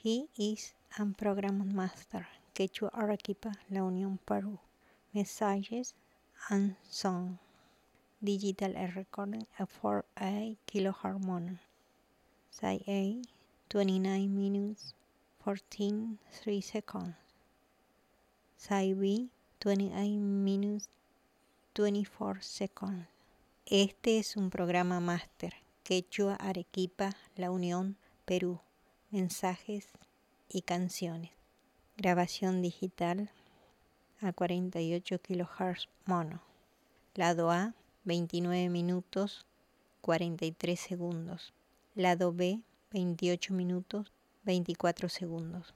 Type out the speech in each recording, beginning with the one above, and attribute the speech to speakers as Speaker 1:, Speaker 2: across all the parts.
Speaker 1: He is an program master, Quechua Arequipa, La Unión, Peru. Messages and song. Digital recording at 4A kilohertz mono. Side A, 29 minutes 14 3 seconds. Side B, 28 minutes 24 seconds. Este es un programa máster, Quechua Arequipa, La Unión, Perú. Mensajes y canciones. Grabación digital a 48 kHz mono. Lado A, 29 minutos 43 segundos. Lado B, 28 minutos 24 segundos.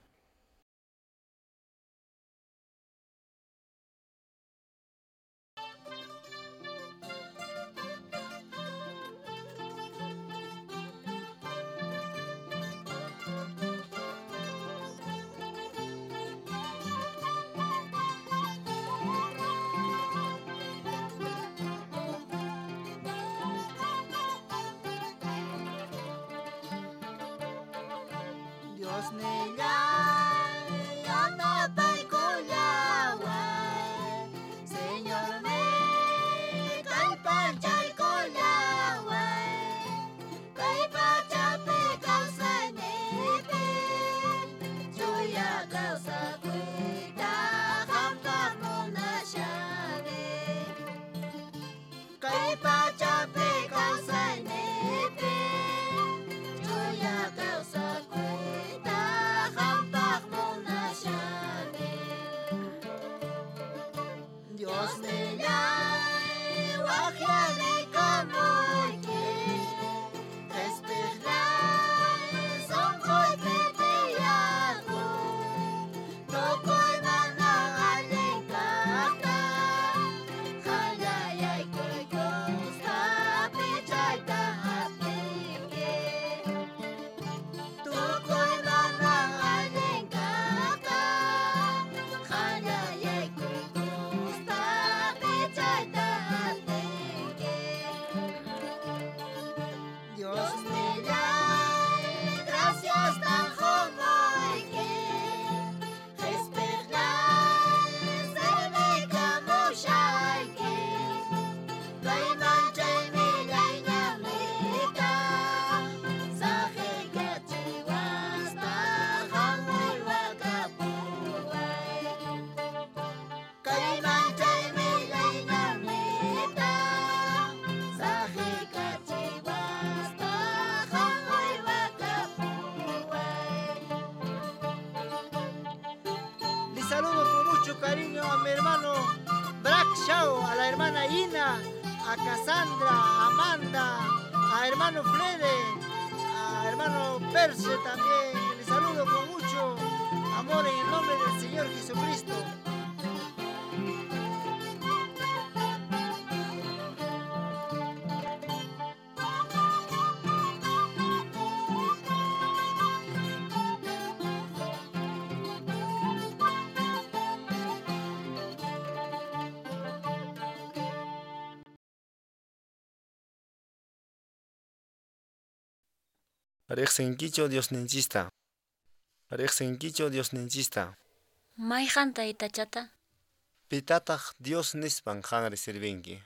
Speaker 2: Diosnillay yanapaykullaway Señorniy kallpachaykullaway Kay pachapi kawsayniypi Chuya kawsakuyta qampaq munashani Kay pachapi kawsayniypi Chuya kawsakuyta qampaq munashani Diosnillay waqyarikamuyki Qhispiqlay sunquypi tiyakuy Tukuy mana allin kaqta Qallayaykukuspa pichayta atinki Tukuy mana allin kaqta Qallayaykukuspa pichayta atinki Diosnillay graciastan qumuyki Qhispiqlay servikamushayki Kay manchay millay ñanniyta Saqiykachiwaspa qam uywakapuway Kay manchay millay ñanniyta Saqiykachiwaspa qam uywakapuway
Speaker 3: Les saludo con mucho cariño a mi hermano Brack Shaw, a la hermana Ina, a Cassandra, a Amanda, a hermano Flede, a hermano Perse también. Les saludo con mucho amor en el nombre del Señor Jesucristo.
Speaker 4: Riqsinkichu Diosninchista. Riqsinkichu Diosninchista.
Speaker 5: Mayqan taytachata?
Speaker 4: Pitataq Dios nispan qanri sirvinki?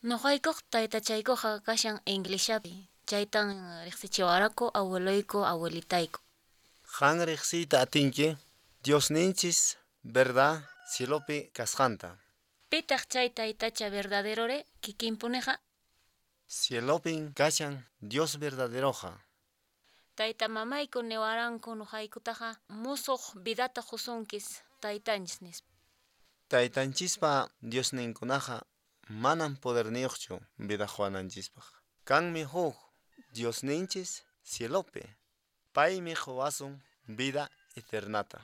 Speaker 5: Nuqaykuq taytachaykuqa kashan Inglishapi, chaytan riqsichiwaraku abueloyku abuelitayku.
Speaker 4: Qan riqsiyta atinki Diosninchis verdad cielopi kasqanta.
Speaker 5: Pitaq chay taytacha verdaderore kikinpuniqa?
Speaker 4: Cielopin kashan Dios verdaderoqa.
Speaker 5: Tayta mamayku niwaranku nuqaykutaqa musuq vidata qusunkis taytanchis nispa.
Speaker 4: Taytanchispa Diosninkunaqa manan poderniyuqchu vida quwananchispaq. Kanmi huk Diosninchis cielopi. Paymi quwasun vida eternata.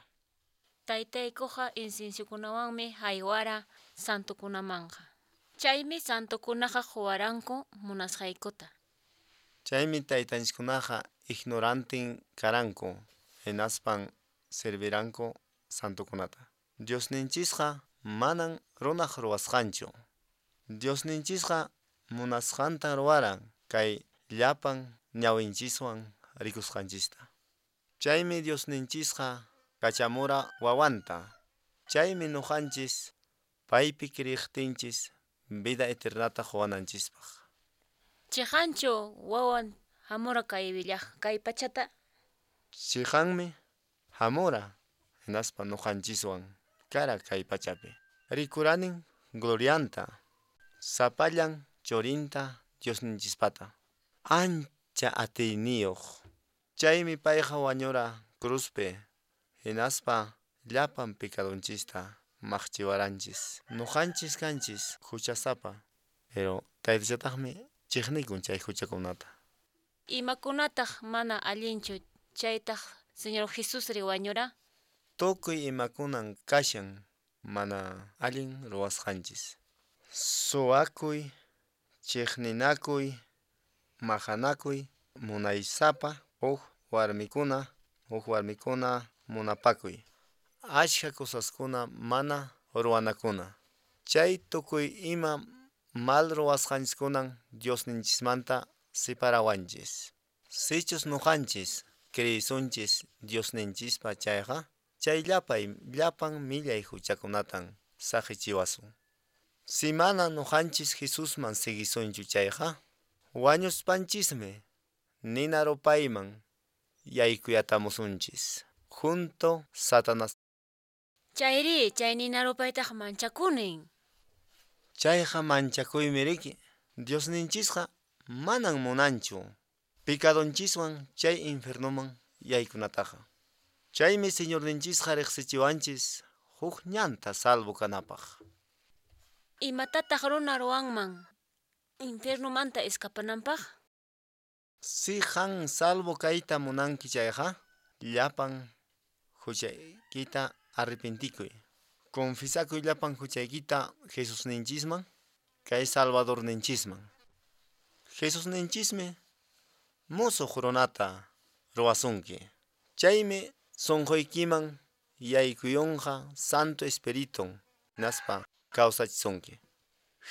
Speaker 5: Taytaykuqa inciensiokunawanmi haywara santukunamanqa. Chaymi santukunaqa quwaranku munasqaykuta.
Speaker 4: Chaymi taytanchiskunaqa ignorantin karanku hinaspan serviranku santukunata. Diosninchisqa manan runaq ruwasqanchu. Diosninchisqa munasqanta ruwaran kay llapan ñawinchiswan rikusqanchista. Chaymi Diosninchisqa kachamura wawanta. Chaymi nuqanchis paypi kriyiqtinchis vida eternata quwananchispaq.
Speaker 5: Chiqanchu wawan hamura kay willaq kay pachata?
Speaker 4: Chiqanmi hamura hinaspa nuqanchiswan kara kay pachapi. Rikuranin glorianta, sapallan churinta Diosninchispata. Ancha atiyniyuq. Chaymi payqa wañura cruzpi hinaspa llapan pecadonchista maqchiwaranchis. Nuqanchis kanchis huchasapa, pero taytachataqmi chiqnikun chay huchakunata.
Speaker 5: Imakunataq mana allinchu chaytaq Señor Jesusri wañura?
Speaker 4: Tukuy imakunan kashan mana allin ruwasqanchis. Suwakuy, chiqninakuy, maqanakuy, munaysapa, huk warmikuna munapakuy. Ashka cosaskuna mana ruwanakuna. Chay tukuy ima mal ruwasqanchiskunan Diosninchismanta separawanchis. Sichus nuqanchis kriyisunchis Diosninchispa chayqa, chay llapay llapan millay huchakunatan saqichiwasun. Si mana nuqanchis Jesusman siguisunchu chayqa, wañuspanchismi nina rupayman yaykuyatamusunchis junto Satanás.
Speaker 5: Chayri, chay nina rupaytaq manchakunin.
Speaker 4: Chayqa manchakuymi riki. Diosninchisqa manan munanchu picadonchiswan chay infiernoman yaykunataqa. Chaymi Señorninchisqa riqsichiwanchis huk ñanta salvo kanapaq.
Speaker 5: Imatataq runa ruwanman infiernomanta escapananpaq?
Speaker 4: Si qan salvo kayta munanki chayqa, llapan huchaykita arrepentikuy. Confesakuy llapan huchaykita Jesusninchisman, kay Salvadorninchisman. Jesusninchismi musuq runata ruwasunki. Chaymi sunquykiman yaykuyunqa Santo Espiritun hinaspa kawsachisunki.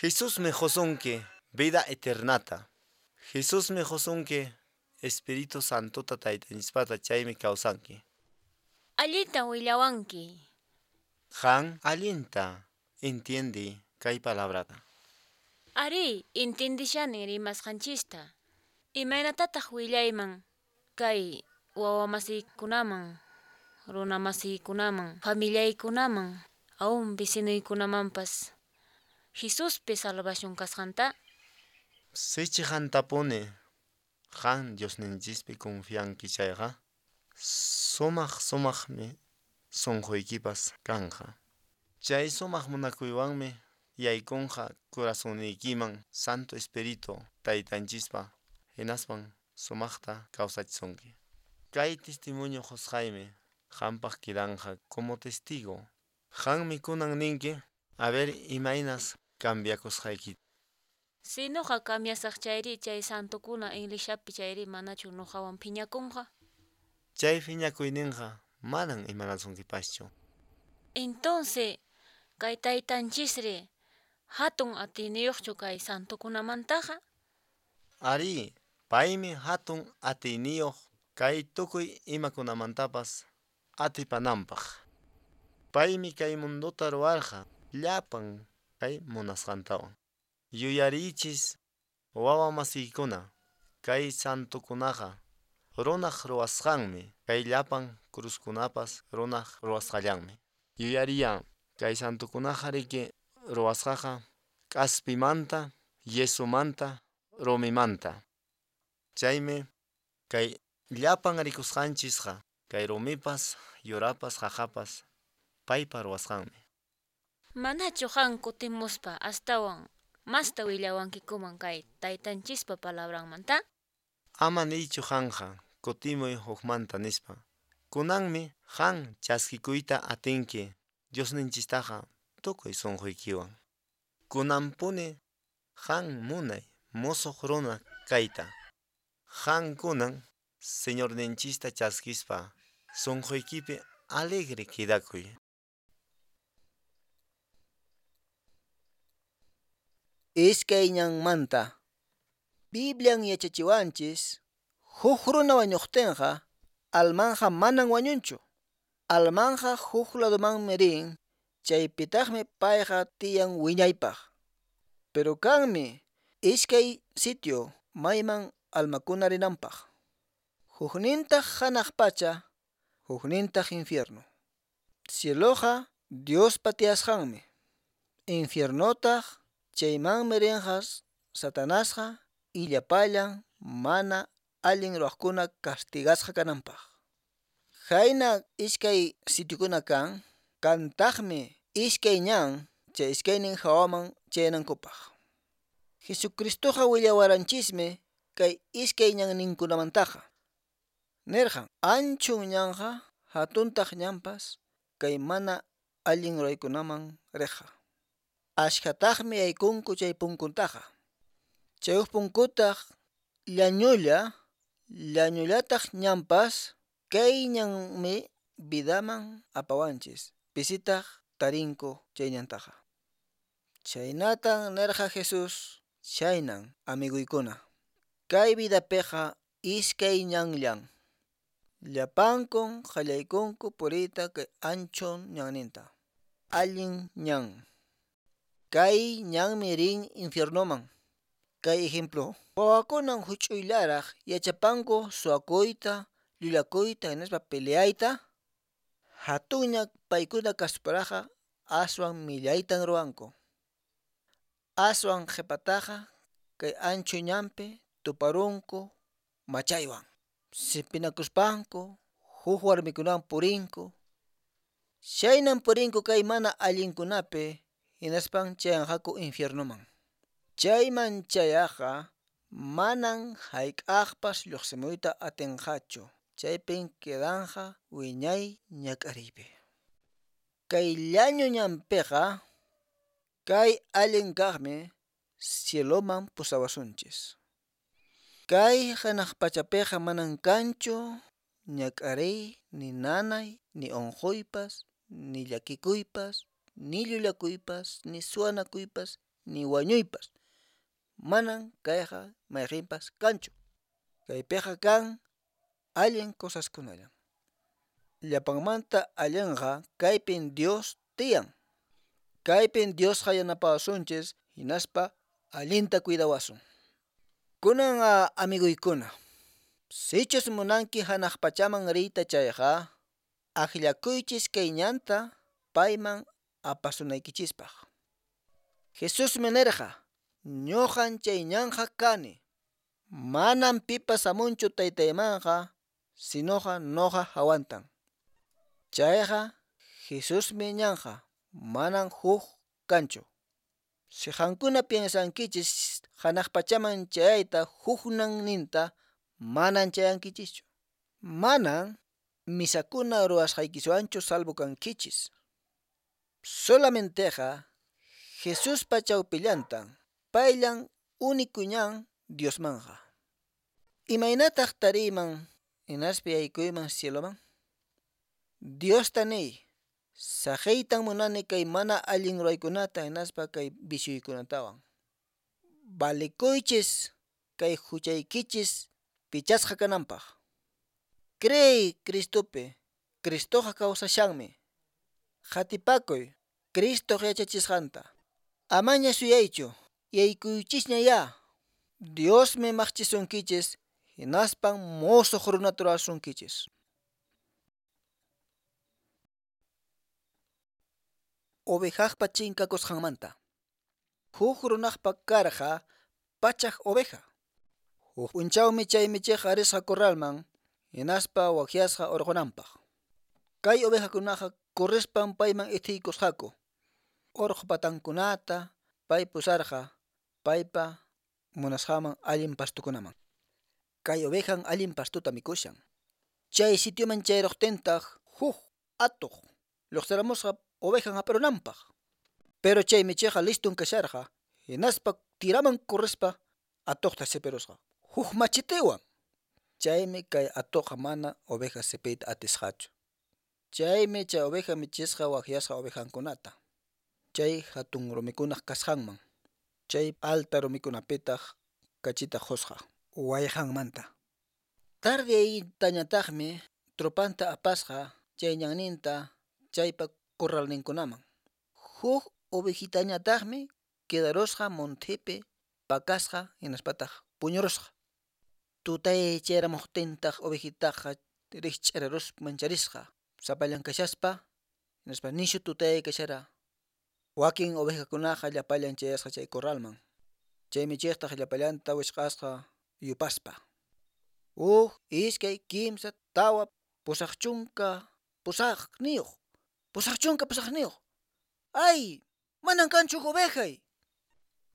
Speaker 4: Jesusmi qusunki vida eternata. Jesusmi qusunki Espíritu Santota taytanchispata chaymi kawsanki.
Speaker 5: Allinta willawanki.
Speaker 4: Qan allinta intiendi kay palabrata.
Speaker 5: Ari, intindishani rimasqanchista. Imaynatataq willayman kay wawamasiykunaman, runamasiykunaman, familiaykunaman, aún vecinuykunamanpas Jesuspi salvación kasqanta?
Speaker 4: Sichi qantapuni qan Diosninchispi confianki chayqa, sumaq sumaqmi sunquykipas kanqa. Chay sumaq munakuywanmi yaykunqa corazonniykiman Santo Espíritu taytanchispa hinaspan sumaqta kawsachisunki. Kay testimonio qusqaymi qampaq kidanqa como testigo. Qanmi kunan ninki a ver imaynas cambiakusqaykita.
Speaker 5: Si nuqa cambiasaq chayri chay santokuna iglesia-pi chayri manachu nuqawan phiñakunqa?
Speaker 4: Chay phiñakuyninqa manan imanasunkipaschu.
Speaker 5: Entonces, kay taytanchisri hatun atiyniyuqchu kay santokunamantaqa?
Speaker 4: Ari, paymi hatun atiyniyuq kay tukuy imakunamantapas atipananpaq. Paymi kay mundota ruwarqa llapan kay munasqantawan. Yuyariychis wawa masiykuna kay santokunaqa runaq ruwasqanmi, kay llapan cruzkunapas runaq ruwasqallanmi. Yuyariya kay santokunaqa riki ruwasqaqa k'aspimanta, yesumanta, rumimanta. Chaymi kay llapan rikusqanchisqa kay rumipas, yurapas, qaqapas paypa ruwasqanmi.
Speaker 5: Manachu qan kutimuspa astawan masta willawankikuman kay taytanchispa palabranmanta?
Speaker 4: Ama niychu qanqa kutimuy hukmanta nispa. Kunanmi qan chaskikuyta atinki Diosninchistaqa tukuy sunquykiwan. Kunanpuni qan munay musuq runa kayta. Qan kunan Señorninchista chaskispa sunquykipi alegre quedakuy.
Speaker 3: Iskay ñanmanta. Biblian yachachiwanchis huk runa wañuqtinqa Almanqa manan wañunchu. Almanqa huk ladumanmi rin, chaypitaqmi payqa tiyan wiñaypaq. Pero kanmi iskay sitio mayman almakuna rinanpaq. Huknintaq hanaq pacha, huknintaq infierno. Cieloqa Diospa tiyasqanmi. Infiernotaq chaymanmi rinqa Satanasqa illapallan mana allin ruwaqkuna castigasqa kananpaq. Khayna iskay sitiokuna kan, kantaqmi iskay ñan chay iskaynin hawaman chayanankupaq. Jesucristoqa willawaranchismi kay iskay ñanninkunamantaqa. Nirqan, anchun ñanqa hatuntaq ñanpas kay mana allin ruraykunaman riqqa. Ashkhataqmi yaykunku chay punkuntaqa. Chay huk punkutaq llañulla, llañullataq ñanpas kay ñanmi vidaman apawanchis, pisitaq tarinku chay ñantaqa. Chhaynatan nirqa Jesús, chhaynan amiguykuna. Kay vidapiqa iskay ñanllan. Llapankun qallaykunku puriyta kay ancho ñanninta. Allin ñan. Kay ñanmi rin infiernoman. Kay ejemplo, wawakunan huch'uyllaraq yachapanku suwakuyta, llullakuyta hinaspa peleayta. Hatunña paykuna kasparaqa aswan millaytan ruwanku. Aswan qhipataqa kay ancho ñanpi tuparunku machaywan. Sipinakuspanku huk warmikunawan purinku. Chhaynan purinku kay mana allinkunapi hinaspan chayanqaku infiernoman. Chayman chayaqqa manan hayk'aqpas lluqsimuyta atinqachu, chaypin quedanqa wiñay ñak'ariypi. Kay llañu ñanpiqa kay allin kaqmi cieloman pusawasunchis. Kay hanaq pachapiqa manan kanchu ñak'ariy, ni nanay, ni unquypas, ni llakikuypas, ni llullakuypas, ni suwanakuypas, ni wañuypas. Manan kayqa mayqinpas kanchu. Kaypiqa kan allin cosaskunallan. Llapanmanta allinqa kaypin Dios tiyan. Kaypin Diosqa yanapawasunchis hinaspa allinta cuidawasun. Kunan amiguykuna, sichus munanki hanaq pachaman riyta chayqa, akllakuychis kay ñanta payman apasunaykichispaq. Jesusmi nirqa, ñuqan chay ñanqa kani. Manan pipas hamunchu taytaymanqa, sinoqa nuqa hawantan. Chayqa Jesusmi ñanqa, manan huk kanchu. Si qankuna piensankichis hanaq pachaman chayayta huk ñanninta, manan chayankichischu. Manan misakuna ruwasqaykiswanchu salvo kankichis. Solamenteqa Jesuspa chawpillantan, payllan único ñan Diosmanqa. Imaynataq tariyman hinaspa yaykuyman cieloman? Diosta niy, saqiytan munani kay mana allin ruraykunata hinaspa kay vicioykunatawan. Valikuychis kay huchaykichis pichasqa kananpaq. Creey Cristopi, Cristoqa kawsashanmi. Qatipakuy Cristoq yachachisqanta. Amaña suyaychu, yaykuychisña ya. Diosmi maqchisunkichis hinaspan musuq runata rurasunkichis. Ovejaqpa chinkakusqanmanta. Huk runaqpa karqa pachak oveja. Huk p'unchawmi chay michiqqa risqa corralman hinaspa waqyasqa urqunanpaq. Kay ovejakunaqa corrispan payman ithiykusqaku. Urqu patankunata pay pusarqa paypa munasqanman allin pastukunaman. Kay ovejan allin pastuta mikushan. Chay sitioman chayruqtintaq huk atuq lluqsiramusqa ovejan hap'irunanpaq. Pero chay michiqqa listun kasharqa hinaspa tiraman corrispa atuqta sipirusqa huk machitiwan. Chaymi kay atuqqa mana oveja sipiyta atisqachu. Chaymi chay oveja michisqa waqyasqa ovejankunata. Chay hatun rumikunaq kasqanman. Chay alta rumikunapitaq kachita qusqa wayqanmanta. Tardeytañataqmi
Speaker 6: Tropanta apasqa chay ñanninta chaypa corralninkunaman. Huk ovejitañataqmi quedarusqa montepi pakasqa hinaspataq puñurusqa. Tutay chayaramuqtintaq ovejitaqa rikch'araruspa mancharisqa sapallan kashaspa hinaspa nishu tutay kashara. Wakin ovejakunaqa llapallan chayasqa chay corralman. Chay michiqtaq llapallanta wichq'asqa yupaspa. Huk, iskay, kimsa, tawa, 80 pusaqniyuq, 80 pusaqniyuq. ¡Ay! Manan kanchu huk ovejay!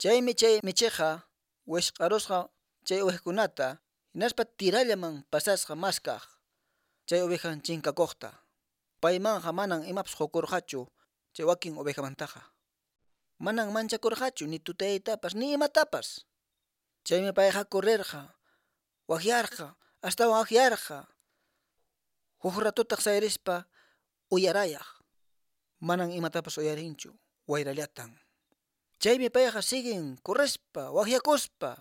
Speaker 6: Chaymi chay michiqqa wichq'arusqa chay ovejakunata hinaspa tirallaman pasasqa maskaq chay ovejan chinkakuqta. Paymanqa manan imapas qukurqachu chay wakin ovejamantaqa. Manan manchakurqachu ni tutaytapas ni imatapas. Chaymi payqa correrqa, waqyarqa, astawan waqyarqa. Huk ratutaq sayarispa uyarayaq. Manan imatapas uyarinchu, wayrallatan. Chaymi payqa siguen correspa, waqyakuspa.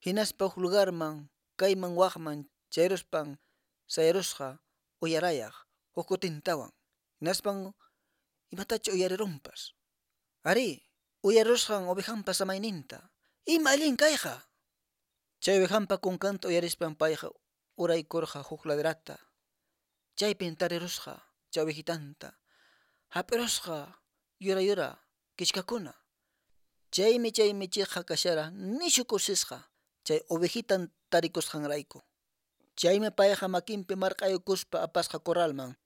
Speaker 6: Hinaspa huk lugarman, kayman waqman chayruspan sayarusqa uyarayaq huk kutintawan. Hinaspan imatacha uyarirunpas. Arí, uyarusqan ovejanpa samayninta. Ima allin kayqa! Chay ovejanpa kunkanta uyarispan payqa uraykurqa huk laderata. Chaypin tarirusqa chay ovejitanta. Hap'irusqa yura yura kichkakuna. Chaymi chay michiqqa kashara nishu kusisqa chay ovejitan tarikusqanrayku. Chaymi payqa makinpi marq'aykuspa apasqa corralman.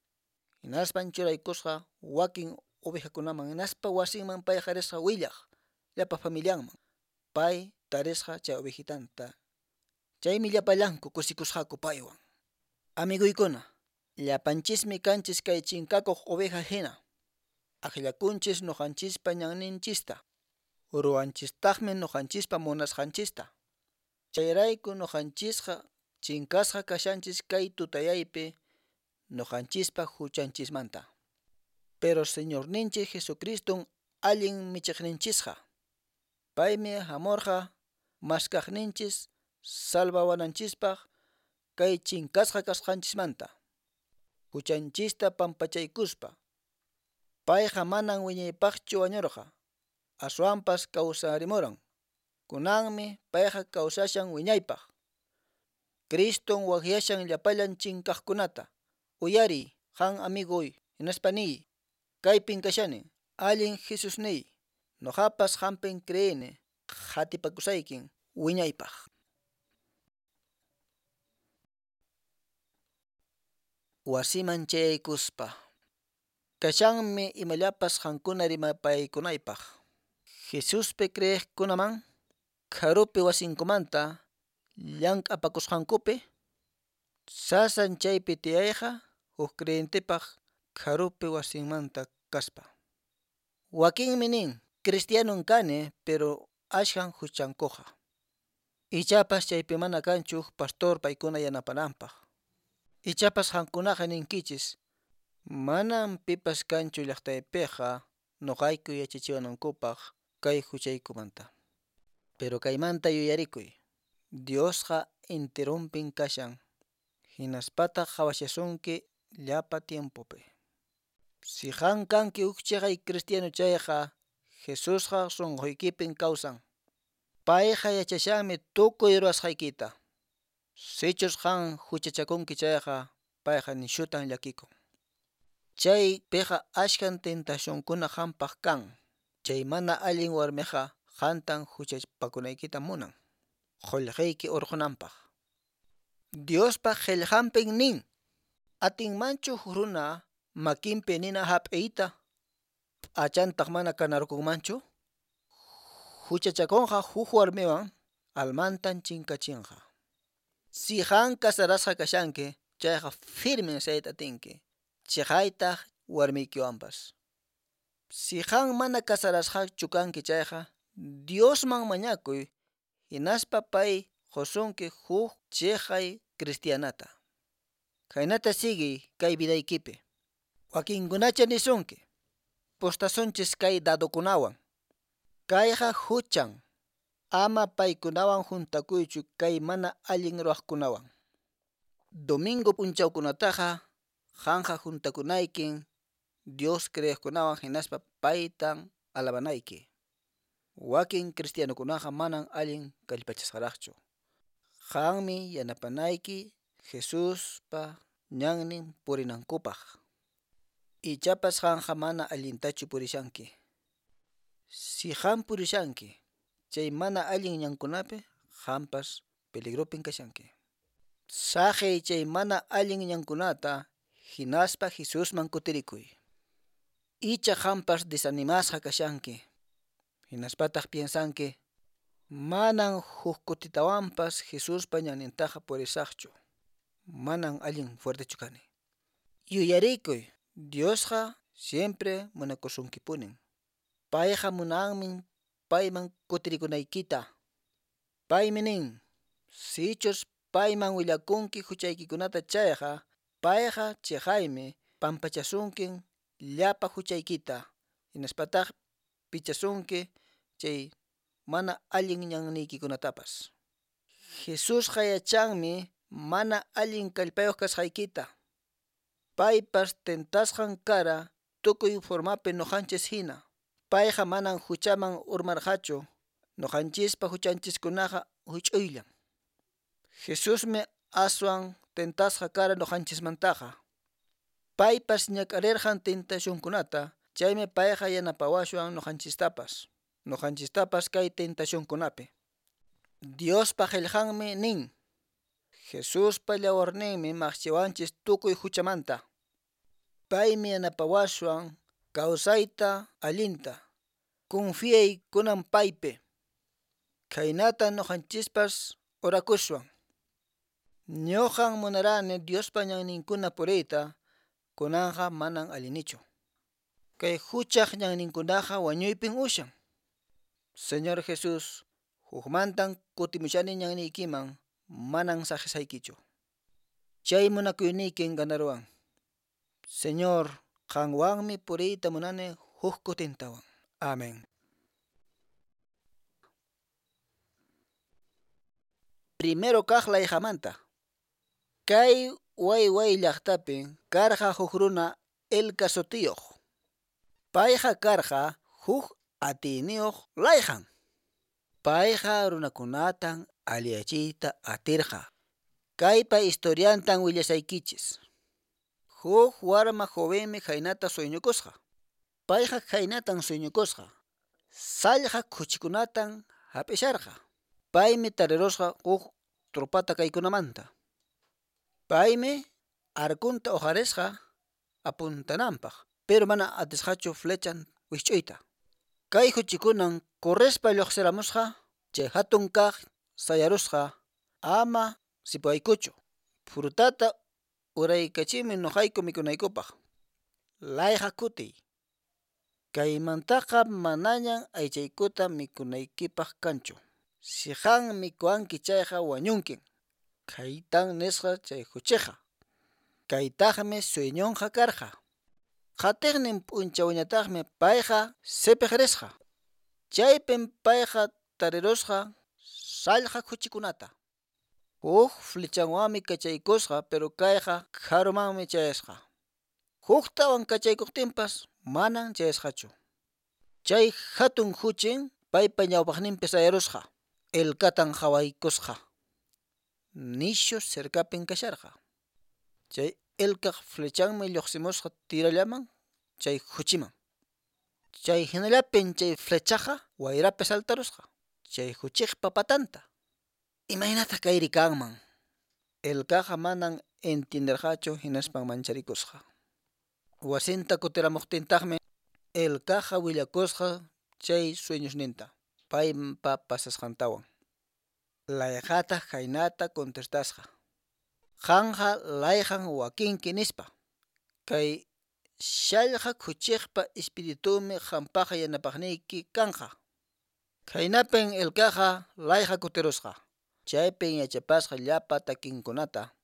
Speaker 6: Hinaspan churaykusqa wakin ovejakunaman hinaspa wasinman payqa risqa willaq llapa familianman. Pay tarisqa chay ovejitanta. Chaymi llapallanku kusikusqaku paywan. Amiguykuna, llapanchismi kanchis kay chinkakuq oveja hina. Akllakunchis nuqanchispa ñanninchista. Ruwanchistaqmi nuqanchispa munasqanchista. Chayrayku nuqanchisqa chinkasqa kashanchis kay tutayaypi nuqanchispa huchanchismanta. Pero Señorninchik Jesucriston allin michiqninchisqa. Paymi hamurqa maskaqninchis salvawananchispaq kay chinkasqa kasqanchismanta. Huchanchista pampachaykuspa. Payqa manan wiñaypaqchu wañurqa. Aswanpas kawsarimuran. Kunanmi payqa kawsashan wiñaypaq. Criston waqyashan llapallan chinkaqkunata. Uyariy, qan amiguy, hinaspa niy. Kaypin kashani, allin Jesusniy. Nuqapas qampin creeni, qhatipakusaykin wiñaypaq. Wasiman chayaykuspa. Kashanmi imallapas qankuna rimapaykunaypaq. Jesuspi creeqkunaman kharupi wasinkumanta llank'apakusqankupi, sasan chaypi tiyayqa huk creyentepaq kharupi wasinmanta kaspa. Wakinmi nin, cristianon kani, pero ashkan huchankuqa. Ichapas chaypi mana kanchu huk pastor paykuna yanapananpaq. Ichapas qankunaqa ninkichis, manan pipas kanchu llaqtaypiqa nuqayku yachachiwanankupaq kay huchaykumanta. Pero kaymanta yuyarikuy, Diosqa enteronpin kashan, hinaspataq qhawashasunki llapa tiempopi. Si qan kanki huk chiqay cristiano chayqa, Jesusqa sunquykipin kawsan. Payqa yachashanmi tukuy ruwasqaykita. Sichus qan huchachakunki chayqa, payqa nishutan llakikun. Chaypiqa ashkan tentacionkuna qampaq kan. Chay mana allin warmiqa qantan huchapakunaykita munan, qullqiyki urqunanpaq. Diospa qillqanpin nin, atinmanchu huk runa makinpi nina hap'iyta, p'achantaq mana kanarkunmanchu? Huchachakunqa huk warmiwan almantan chinkachinqa. Si qan casarasqa kashanki, chayqa firmen sayta atinki, chiqaytaq warmiykiwanpas. Si qan mana casarasqachu kanki chayqa, Diosman mañakuy, hinaspa pay qusunki huk chiqay cristianata. Khaynata siguiy kay vidaykipi. Wakinkunacha nisunki, pustasunchis kay dadokunawan. Kayqa huchan, ama paykunawan juntakuychu kay mana allin ruwaqkunawan. Domingo p'unchawkunataqa qanqa juntakunaykin Dios creeqkunawan hinaspa paytan alabanayki. Wakin cristianokunaqa manan allin kallpachasqaraqchu. Qanmi yanapanayki Jesuspa ñannin purinankupaq. Ichapas qanqa mana allintachu purishanki. Si qan purishanki, chay mana allin ñankunapi qanpas peligropin kashanki. Saqiy chay mana allin ñankunata hinaspa Jesusman kutirikuy. Icha qanpas desanimasqa kashanki. Hinaspataq piensanki, manan huk kutitawanpas Jesuspa ñannintaqa purisaqchu. Manan allin fuertechu kani. Yuyarikuy, Diosqa siempre munakusunkipunin. Payqa munanmi payman kutirikunaykita. Paymi nin, sichus payman willakunki huchaykikunata chayqa, payqa chiqaymi pampachasunkin llapa huchaykita. Hinaspataq pichasunki chay mana allin ñanniykikunatapas. Jesusqa yachanmi mana allin kallpayuq kasqaykita. Paypas tentasqan kara tukuy formapi nuqanchis hina. Payqa manan huchaman urmarqachu, nuqanchispa huchanchiskunaqa huch'uyllan. Jesusmi aswan tentasqa kara nuqanchismantaqa. Paypas ñak'arirqan tentacionkunata, chaymi payqa yanapawashwan nuqanchistapas. Nuqanchistapas kay tentacionkunapi. Diospa qillqanmi nin, Jesuspa llawarninmi maqchiwanchis tukuy huchamanta. Paymi yanapawashwan kawsayta allinta. Confiay kunan paypi. Khaynata nuqanchispas orakushwan. Ñuqan munarani Diospa ñanninkuna puriyta, kunanqa manan allinichu. Kay huchaq ñanninkunaqa wañuypin ushan. Señor Jesús, hukmantan kutimushani ñanniykiman, manan saqisaykichu. Chay munakuyniykin ganaruwan. Señor, qanwanmi puriyta munani huk kutintawan. Amén. Primero kaq layqamanta. Kay Wayway llaqtapin karqa huk runa Elka sutiyuq. Payqa karqa huk atiyniyuq layqan. Payqa runakunatan alliyachiyta atirqa. Kaypa historiantan willasaykichis. Huk warma jovenmi khaynata sueñukusqa. Payqa khaynatan sueñukusqa. Sallqa khuchikunatan hap'isharqa. Paymi tarirusqa huk tropata kaykunamanta. Paymi arkunta uqarisqa apuntananpaq, pero mana atisqachu flechan wikch'uyta. Kay khuchikunan correspa lluqsiramusqa, chay hatun kaq sayarusqa, ama sipuaykuchu. Frutata uraykachimuy nuqayku mikunaykupaq. Layqa kutiy. Kaymantaqa manañan aychaykuta mikunaykipaq kanchu. Si qan mikuwanki chayqa wañunkin. Khaytan nisqa chay khuchiqa. Kaytaqmi sueñonqa karqa. Qatiqnin p'unchawñataqmi payqa sipiq risqa. Chaypin payqa tarirusqa sallqa khuchikunata. Huk flechanwanmi kachaykusqa, pero kayqa karumanmi chayasqa. Huktawan kachaykuqtinpas manan chayasqachu. Chay hatun khuchin paypa ñawpaqninpi sayarusqa. Elkatan qhawaykusqa. Nishu cercapin kasharqa. Chay elkaq flechanmi lluqsimusqa tirallaman chay khuchiman. Chay hinallapin chay flechaqa wayrapi saltarusqa. Chay khuchiqpa patanta. Imaynataq kayri kanman? Elkaqa manan entienderqachu hinaspan mancharikusqa. Wasinta kutiramuqtintaqmi Elkaqa willakusqa chay sueñosninta paypa pasasqantawan. Layqataq khaynata contestasqa. Qanqa layqan wakinki nispa. Kay sallqa khuchiqpa espiritunmi qampaqqa yanapaqniyki kanqa. Khaynapin Elkaqa layqa kutirusqa. Chaypin yachapasqa llapa takinkunata.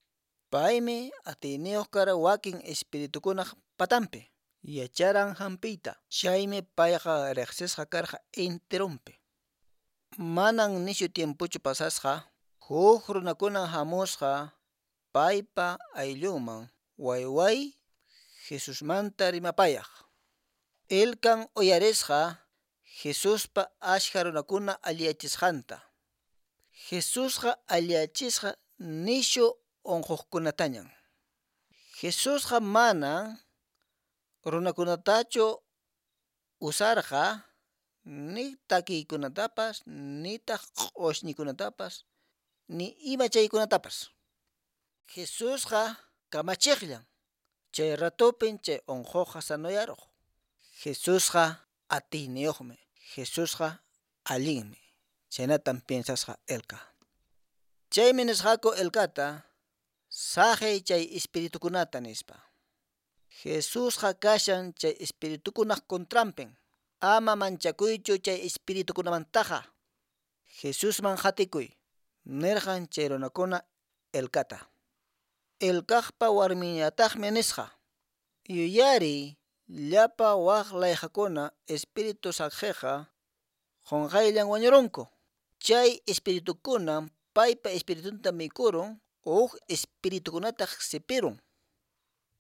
Speaker 6: Paymi atiyniyuq kara wakin espiritukunaq patanpi. Yacharan hampiyta. Chaymi payqa riqsisqa karqa enterunpi. Manan nishu tiempochu pasasqa, huk runakunan hamusqa Paypa ayllunman wayway Jesusmanta rimapayaq. Elkan uyarisqa Jesuspa ashka runakuna alliyachisqanta. Jesusqa alliyachisqa nishu unquqkunatañan. Jesusqa manan runakunatachu usarqa ni takiykunatapas nitaq q'ushñikunatapas ni ima chaykunatapas. Jesusqa kamachiqllan chay ratupin chay unquqqa sanoyaruq. Jesusqa atiyniyuqmi, Jesusqa allinmi. Chhaynatan piensasqa Elka. Chaymi nisqaku Elkata saqiy chay espiritukunata nispa. Jesusqa kashan chay espiritukunaq contranpin. Ama manchakuychu chay espiritukunamantaqa. Jesusman qatikuy, nirqan chay runakuna Elkata. Elkaqpa warminñataqmi nisqa: Yuyariy llapa wak layqakuna espíritu saqhiqa qunqayllan wañurunku. Chay espiritukunam paypa espiritunta mikurun huk espiritukunataq sipirun.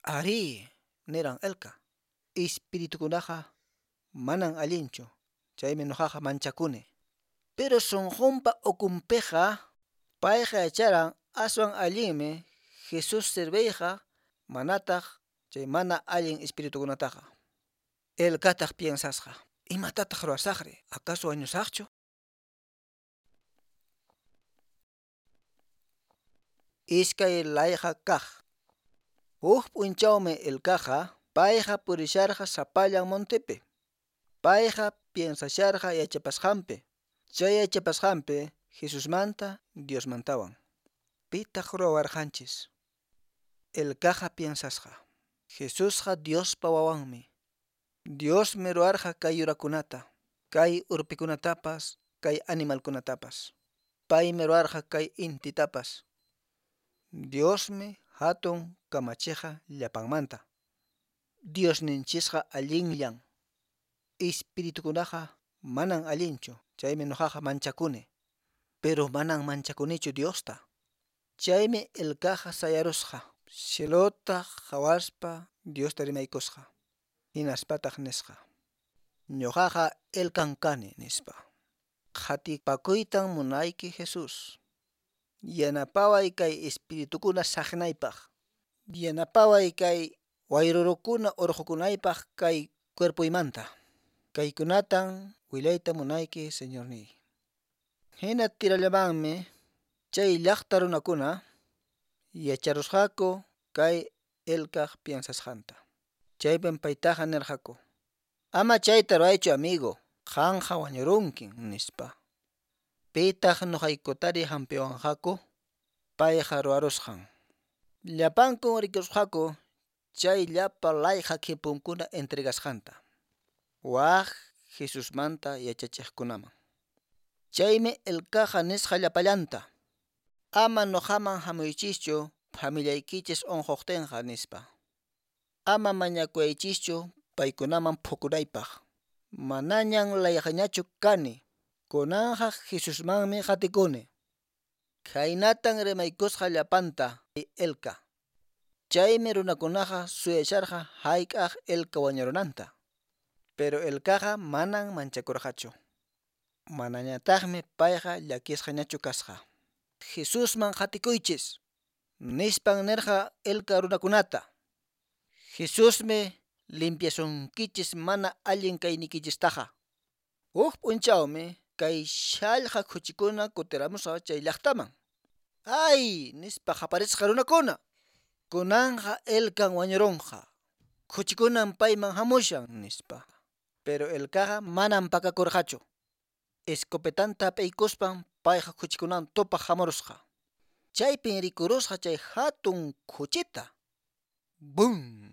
Speaker 6: Arí, niran Elka, espiritukunaqa manan allinchu, chaymi nuqaqa manchakuni. Pero sunqunpa ukunpiqa payqa yacharan aswan allinmi Jesús serviyqa manataq chay mana allin espiritukunataqa. Elkataq piensasqa: Imatataq ruwasaqri? Acaso wañusaqchu? Iskay layqa kaq. Huk p'unchawmi Elkaqa payqa purisharqa sapallan montepi. Payqa piensasharqa yachapasqanpi. Chay yachapasqanpi Jesusmanta Diosmantawan. Pitaq ruwawarqanchis? Elkaqa piensasqa: Jesusqa Diospa wawanmi. Diosmi ruwarqa kay yurakunata, kay urpikunatapas, kay animalkunatapas. Paymi ruwarqa kay intitapas. Diosmi hatun kamachiqa llapanmanta. Diosninchisqa allinllan. Espiritukunaqa manan allinchu, chaymi nuqaqa manchakuni. Pero manan manchakunichu Diosta. Chaymi Elkaqa sayarusqa, cielota qhawaspa Diosta rimaykusqa. Hinaspataq nisqa: Ñuqaqa Elkan kani, nispa. Qhatipakuytan munayki Jesús. Yanapaway kay espiritukuna saqnaypaq. Yanapaway kay wayrurukuna urqukunaypaq kay cuerpoymanta. Kaykunatan willayta munayki, Señorniy. Hina tirallamanmi chay llaqta runakuna yacharusqaku kay Elkaq piensasqanta. Chaypin paytaqa nirqaku: Ama chayta ruwaychu amigo, qanqa wañurunkin, nispa. Pitaq nuqaykutari hampiwanqaku? Payqa ruwarusqan. Llapankun rikusqaku chay llapa layqa khipunkuna entregasqanta wak Jesusmanta yachachiqkunaman. Chaymi Elkaqa nisqa llapallanta: Ama nuqaman hamuychischu familiaykichis unquqtinqa, nispa. Ama mañakuwaychischu paykunaman phukunaypaq. Manañan layqañachu kani, kunanqa Jesusmanmi qatikuni. Khaynatan rimaykusqa llapanta Elka. Chaymi runakunaqa suyasharqa hayk'aq Elka wañurunanta. Pero Elkaqa manan manchakurqachu. Manañataqmi payqa llakisqañachu kasqa. Jesusman qatikuychis, nispan nirqa Elka runakunata. Jesusmi limpiasunkichis mana allin kaynikichistaqa. Huk p'unchawmi kay shallqa khuchikuna kutiramusqa chay llaqtaman. Ay, nispa qaparisqa runakuna. Kunanqa Elkan wañurunqa. Khuchikunan payman hamushan, nispa. Pero Elkaqa manan pakakurqachu. Escopetanta hap'iykuspan payqa khuchikunawan tupaq hamurusqa. Chaypin rikurusqa chay hatun khuchita. ¡Bum!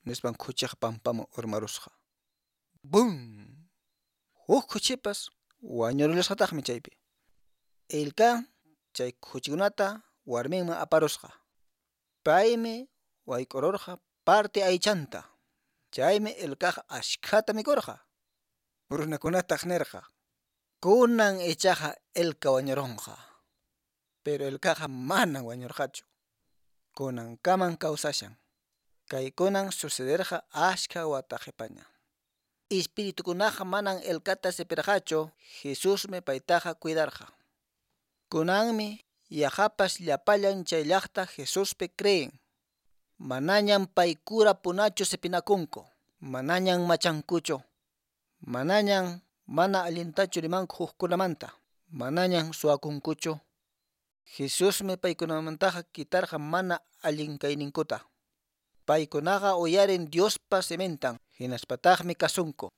Speaker 6: Nispan khuchiqa pampaman urmarusqa. ¡Bum! Huk khuchipas wañurullasqataqmi chaypi. Elka chay khuchikunata warminman aparusqa. Paymi wayk'ururqa parte aychanta. Chaymi Elkaqa ashkhata mikurqa. Runakunataq nirqa: Kunan ichaqa Elka wañurunqa. Pero Elkaqa manan wañurqachu. Kunankaman kawsashan. Kaykunan sucederqa askha wata qhipaña. Espiritukunaqa manan Elkata sipirqachu, Jesusmi paytaqa cuidarqa. Kunanmi yaqapas llapallan chay llaqta Jesuspi creen. Manañan paykura punachu sipinakunku, manañan machankuchu, manañan mana allintachu rimanku hukkunamanta, manañan suwakunkuchu. Jesusmi paykunamantaqa quitarqa mana allin kayninkuta. Paykunaqa uyarin Diospa simintan, hinaspataqmi kasunku.